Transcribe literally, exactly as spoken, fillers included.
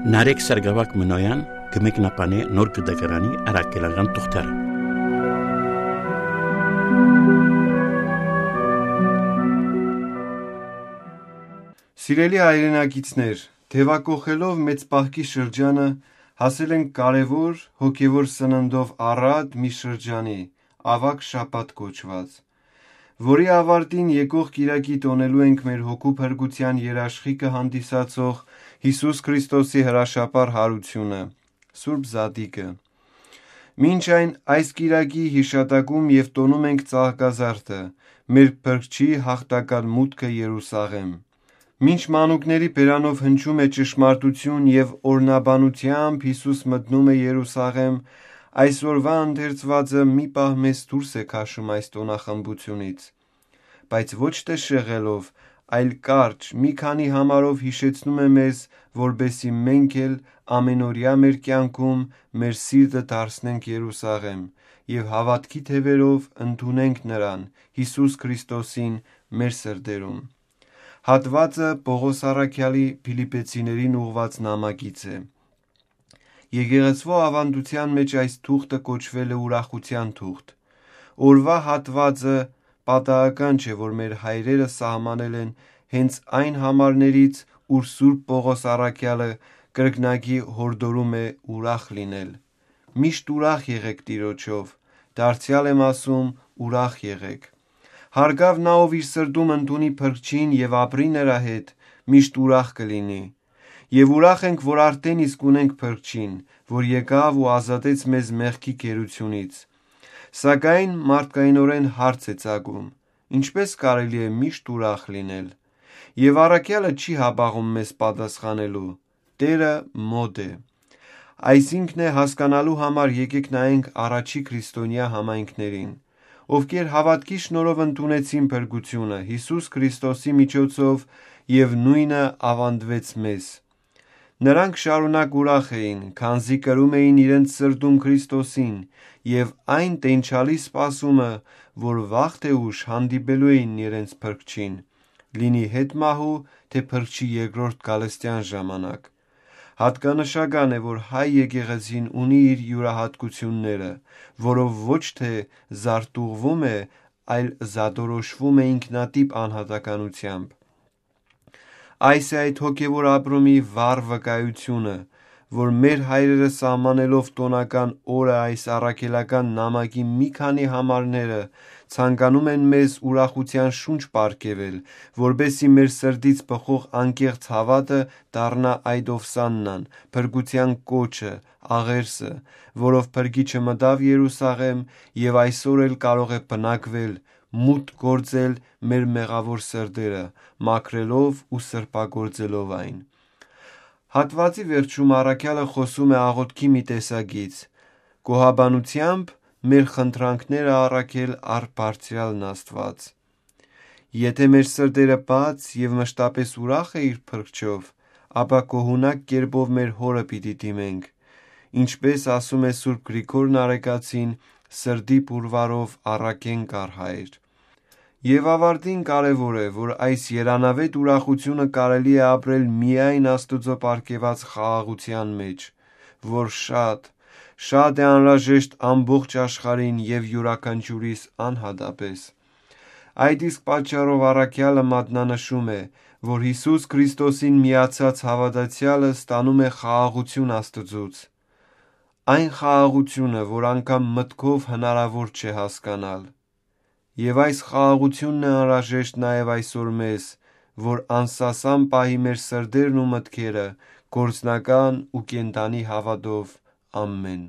Նարեկ Սարգսակ Մնոյան կը մեկնաբանէ Նոր Կտակարանի առաքելական թուղթերը։ Սիրելի հայրենակիցներ, թեւակոխելով մեծ պահքի շրջանը, հասել ենք կարեւոր հոգեւոր սննդով առատ մի շրջանի, Աւագ Շաբաթ կոչուած, որի աւարտին եկող կիրակի տօնելու ենք մեր հոգու փրկութեան երաշխիքը հանդիսացող Յիսուս Քրիստոսի հրաշափառ յարութիւնը, Սուրբ Զատիկը։ Մինչ այն այս կիրակի յիշատակում եւ տոնում ենք Ծաղկազարդը, մեր Փրկչի յաղթական մուտքը Երուսաղէմ։ Մինչ մանուկների բերանով հնչում է ճշմարտություն եւ օրհնաբանությամբ Յիսուս մտնում է Երուսաղէմ, այսօրուայ ընթերցուածը մի պահ մեզ դուրս է քաշում այս տօնախմբութիւնից, բայց ոչ թէ շեղելով, այլ կարճ, մի քանի համարով յիշեցնում է մեզ, որպէսզի մենք էլ ամենօրեայ մեր կեանքում մեր սիրտը դարձնենք Երուսաղէմ եւ հաւատքի թեւերով ընդունենք Նրան, Յիսուս Քրիստոսին, մեր սրտերուն։ Հատուածը Պողոս առաքեալի Փիլիպեցիներին ուղղուած նամակից է։ Եկեղեցւոյ աւանդութեան մէջ այս թուղթը կոչուել է ուրախութեան թուղթ։ Օրուայ հատուածը պատահական չէ, որ մեր հայրերը սահմանել են հենց այն համարներից, ուր Սուրբ Պողոս առաքեալը կրկնակի յորդորում է ուրախ լինել։ «Միշտ ուրախ եղէք Տիրոջով, դարձեալ եմ ասում, ուրախ եղէք»։ Հարգաւ նա, ով իր սրտում ընդունի Փրկչին եւ ապրի նրա հետ, միշտ ուրախ կը լինի։ Եւ ուրախ ենք, որ արդէն իսկ ունենք Փրկչին, որ եկաւ ու ազատեց մեզ մեղքի գերութիւնից։ Սակայն մարդկայինօրէն հարց է ծագում. ինչպե՞ս կարելի է միշտ ուրախ լինել։ Եւ առաքեալը չի հապաղում մեզ պատասխանելու. «Տէրը մօտ է»։ Այսինքն է, հասկանալու համար եկեք նայենք առաջի քրիստոնեայ համայնքներին, ովքեր հաւատքի շնորհով ընդունեցին փրկութիւնը Յիսուս Քրիստոսի միջոցով, եւ նոյնը աւանդուեց մեզ։ Նրանք շարունակ ուրախ էին, քանզի կրում էին իրենց սրտում Քրիստոսին, եւ այն տենչալի սպասումը, որ վաղ թէ ուշ հանդիպելու էին իրենց Փրկչին, լինի յետ մահու թէ Փրկչի երկրորդ գալստեան ժամանակ։ Յատկանշական է, որ հայ եկեղեցին ունի իր իւրայատկութիւնները, որով ոչ թէ զարտուղղվում է, այլ զատորոշվում է ինքնատիպ անհատականությամբ։ Այս է այդ հոգեւոր ապրումի վառ վկայութիւնը, որ մեր հայրերը սահմանելով տօնական օրը այս առաքելական նամակի մի քանի համարները, ցանկանում են մեզ ուրախութեան շունչ պարգեւել, որպէսզի մեր սրտից բխող անկեղծ հաւատը դառնայ այդ ովսաննան, փրկութեան կոչը, աղերսը, որով Փրկիչը մտաւ Երուսաղէմ եւ այսօր էլ կարող է բնակվել, մուտք գործել մեր մեղաւոր սրտերը, մաքրելով ու սրբագործելով այն։ Հատուածի վերջում առաքեալը խօսում է աղօթքի մի տեսակից, գոհաբանությամբ մեր խնդրանքները առաքել առ Բարձրեալն Աստուած։ Եթէ մեր սրտերը բաց եւ մշտապես ուրախ է իր Փրկչով, ապա գոհունակ կերպով մեր Հօրը պիտի դիմենք, ինչպէս ասում է Սուրբ Գրիգոր Նարեկացին. «Սրտի պուրվարով առաքենք առ Հայր»։ Եւ աւարտին կարեւոր է, որ այս երանաւէտ ուրախութիւնը կարելի է ապրել միայն Աստուծոյ պարգեւած խաղաղութեան մէջ, որ շատ, շատ է անհրաժեշտ ամբողջ աշխարհին եւ իւրաքանչիւրիս անհատապես։ Այդ իսկ պատճառով առաքեալը մատնանշում է, որ Յիսուս Քրիստոսին միացած հաւատացեալը ստանում է խաղաղութիւն Աստուծոյց, այն խաղաղութիւնը, որ անգամ մտքով հնարաւոր չէ հասկանալ։ Եւ այս խաղաղութիւնն է անհրաժեշտ նաեւ այսօր մեզ, որ անսասան պահի մեր սրտերն ու մտքերը գործնական ու կենդանի հաւատով։ Ամեն։